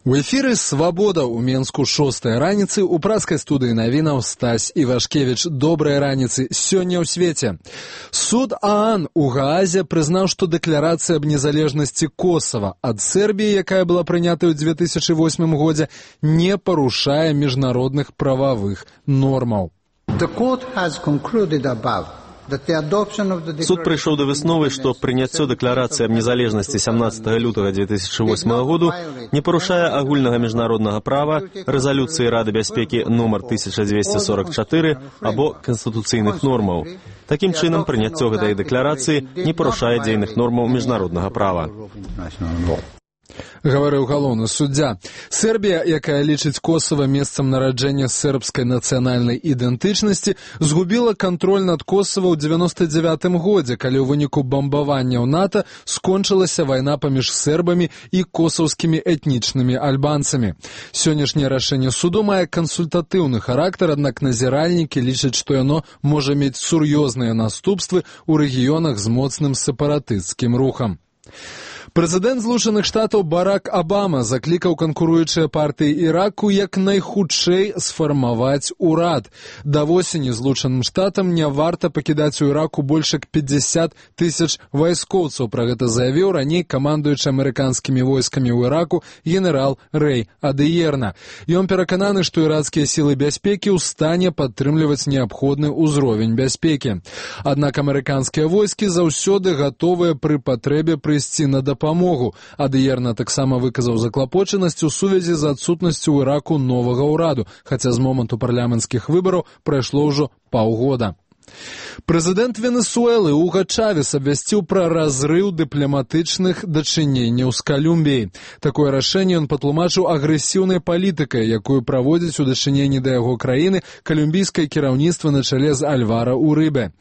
У эфіры «Свабода» ў Менску 6-я раніцы, у праскай студыі навінаў Стась Івашкевіч. Добрай раніцы сёння ў свеце. Суд ААН у Гаазе прызнаў, што дэкларацыя аб незалежнасці Косава ад Сербіі, якая была прынята ў 2008 годзе, не парушае міжнародных прававых нормаў. Суд прыйшоў да высновы, што прыняццё дэкларацыі аб незалежнасці 17 лютага 2008 году не парушае агульнага міжнароднага права, рэзалюцыі Рады бяспекі нумар 1244 або канстытуцыйных нормаў. Такім чынам, прыняццё гэтай дэкларацыі не парушае дзейных нормаў міжнароднага права. Гаварыў галоўны суддзя. Сербія, якая лічыць Косава месцам нараджэння сербскай нацыянальнай ідэнтычнасці, згубіла кантроль над Косава ў 99 годзе, калі ў выніку бамбаванняў НАТО скончылася вайна паміж сербамі і косаўскімі этнічнымі альбанцамі. Сённяшняе рашэнне суду мае кансультатыўны характар, аднак назіральнікі лічаць, што яно можа мець сур'ёзныя наступствы ў рэгіёнах з моцным сепаратысцкім рухам. Прэзідэнт Злучаных Штатаў Барак Абама заклікаў канкуруючыя партыі Іраку як найхутчэй сфармаваць урад. Да восені Злучаным Штатам не варта пакідаць у Іраку больш як 50 тысяч вайскоўцаў. Пра гэта заявіў раней камандуючы амерыканскімі войскамі ў Іраку генерал Рэй Адыерна. Ён перакананы, што ірацкія сілы бяспекі ў стане падтрымліваць неабходны ўзровень бяспекі. Аднак амерыканскія войскі заўсёды гатовыя пры патрэбе прыйсці на дапамогу. Адыерна таксама выказаў заклапочанасць у сувязі з адсутнасцю ў Іраку новага ўраду, хаця з моманту парламенцкіх выбараў прайшло ўжо паўгода. Прэзідэнт Венесуэлы Уга Чавес абвясціў пра разрыў дыпламатычных дачыненняў з Калумбіяй. Такое рашэнне ён патлумачыў агрэсіўнай палітыкай, якую праводзіць у дачыненні да яго краіны калумбійскае кіраўніцтва на чале з Альвара Урыбе.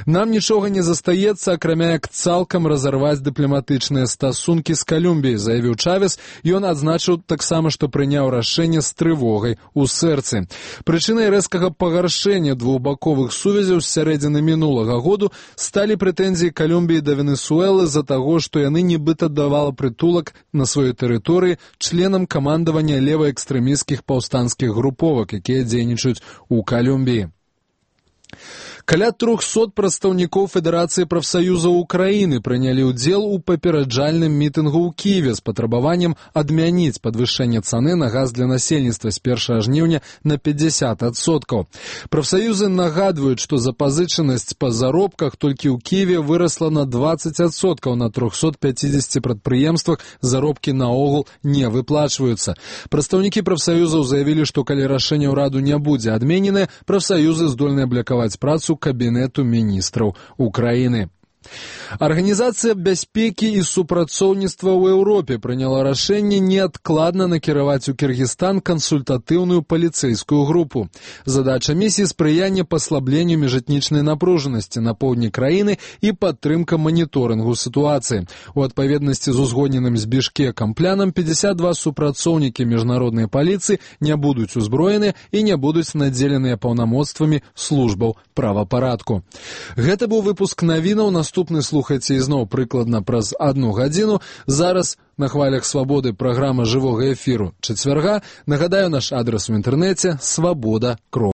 Нам нічога не застаецца, акрамя як цалкам разарваць дыпламатычныя стасункі з Калумбіяй, заявіў Чавес. Ён адзначыў таксама, што прыняў рашэнне з трывогай у сэрцы. Прычынай рэзкага пагаршэння двухбаковых сувязяў з сярэдзіны мінулага году сталі прэтэнзіі Калумбіі да Венесуэлы з-за таго, што яны нібыта давала прытулак на сваёй тэрыторыі членам камандавання леваэкстрэмісцкіх паўстанцкіх груповак, якія дзейнічаюць у Калумбіі. Каля 300 прадстаўнікоў Федэрацыі прафсаюзаў Украіны прынялі ўдзел у папераджальным мітынгу ў Кіеве з патрабаваннем адмяніць падвышэнне цаны на газ для насельніцтва з 1 жніўня на 50%. Прафсаюзы нагадваюць, што запазычанасць па заробках толькі ў Кіеве вырасла на 20%, на 350 прадпрыемствах заробкі наогул не выплачваюцца. Прадстаўнікі прафсаюзаў заявілі, што калі рашэнне ўраду не будзе адмененае, прафсаюзы здольны аблякаваць працу Кабінету міністраў Украіны. Арганізацыя бяспекі і супрацоўніцтва ў Еўропе прыняла рашэнне неадкладна накіраваць у Кіргізстан кансультатыўную паліцэйскую групу. Задача місіі — спрыянне паслабленню міжэтнічнай напружанасці на поўдні краіны і падтрымка маніторынгу сітуацыі. У адпаведнасці з узгодненым з Бішкекам планам 52 супрацоўнікі міжнароднай паліцыі не будуць узброены і не будуць надзеленыя паўнамоцтвамі службаў правапарадку. Гэта быў выпуск навінаў. Наступны слухайце ізноў прыкладна праз 1 гадзіну. Зараз на хвалях Свабоды праграма жывога эфіру чацвярга. Нагадаю, наш адрас у інтэрнэце — свабода.